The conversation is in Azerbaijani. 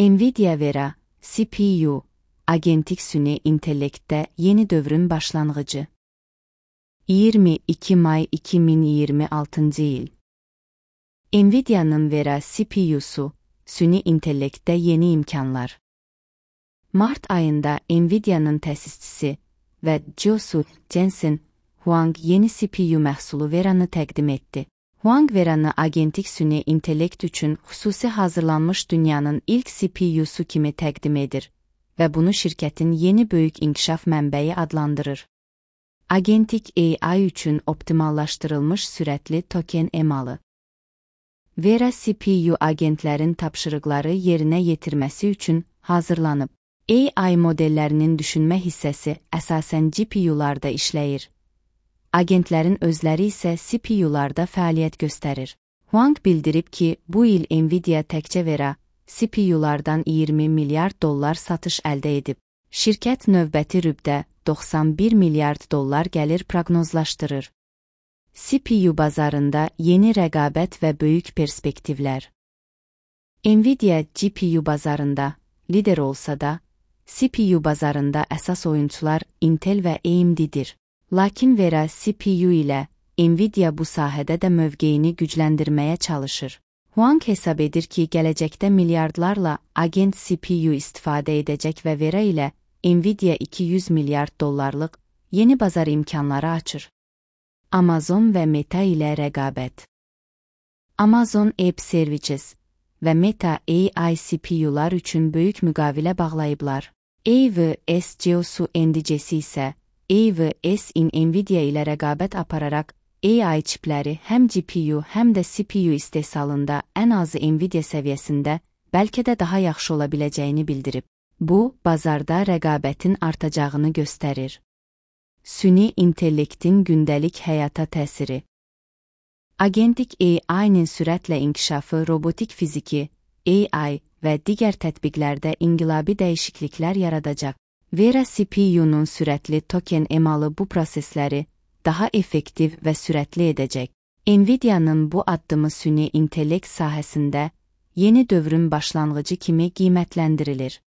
Nvidia Vera, CPU, agentik süni intellektdə yeni dövrün başlanğıcı. 22 may 2026 il. Nvidia'nın Vera CPU'su, süni intellektdə yeni imkanlar. Mart ayında Nvidia'nın təsisçisi və CEO'su Jensen Huang yeni CPU məhsulu Vera'nı təqdim etdi. Huang Vera'nı agentik süni intellekt üçün xüsusi hazırlanmış dünyanın ilk CPU'su kimi təqdim edir və bunu şirkətin yeni böyük inkişaf mənbəyi adlandırır. Agentik AI üçün optimallaşdırılmış sürətli token emalı. Vera CPU agentlərin tapşırıqları yerinə yetirməsi üçün hazırlanıb. AI modellərinin düşünmə hissəsi əsasən GPU'larda işləyir. Agentlərin özləri isə CPU-larda fəaliyyət göstərir. Huang bildirib ki, bu il Nvidia təkcə Vera CPU-lardan 20 milyard dollar satış əldə edib. Şirkət növbəti rübdə 91 milyard dollar gəlir proqnozlaşdırır. CPU bazarında yeni rəqabət və böyük perspektivlər. Nvidia GPU bazarında lider olsa da, CPU bazarında əsas oyunçular Intel və AMD-dir. Lakin Vera CPU ilə Nvidia bu sahədə də mövqeyini gücləndirməyə çalışır. Huang hesab edir ki, gələcəkdə milyardlarla agent CPU istifadə edəcək və Vera ilə Nvidia 200 milyard dollarlıq yeni bazar imkanları açır. Amazon və Meta ilə rəqabət. Amazon Web Services və Meta AI CPU-lar üçün böyük müqavilə bağlayıblar. AWS CEO'su Andy Jassy isə AWS Nvidia ilə rəqabət apararaq AI çipləri həm GPU, həm də CPU istehsalında ən azı Nvidia səviyyəsində, bəlkə də daha yaxşı ola biləcəyini bildirib. Bu, bazarda rəqabətin artacağını göstərir. Süni intellektin gündəlik həyata təsiri. Agentik AI-nin sürətlə inkişafı robotik fiziki, AI və digər tətbiqlərdə inqilabi dəyişikliklər yaradacaq. Vera CPU-nun sürətli token emalı bu prosesləri daha effektiv və sürətli edəcək. Nvidia'nın bu addımı süni intellekt sahəsində yeni dövrün başlanğıcı kimi qiymətləndirilir.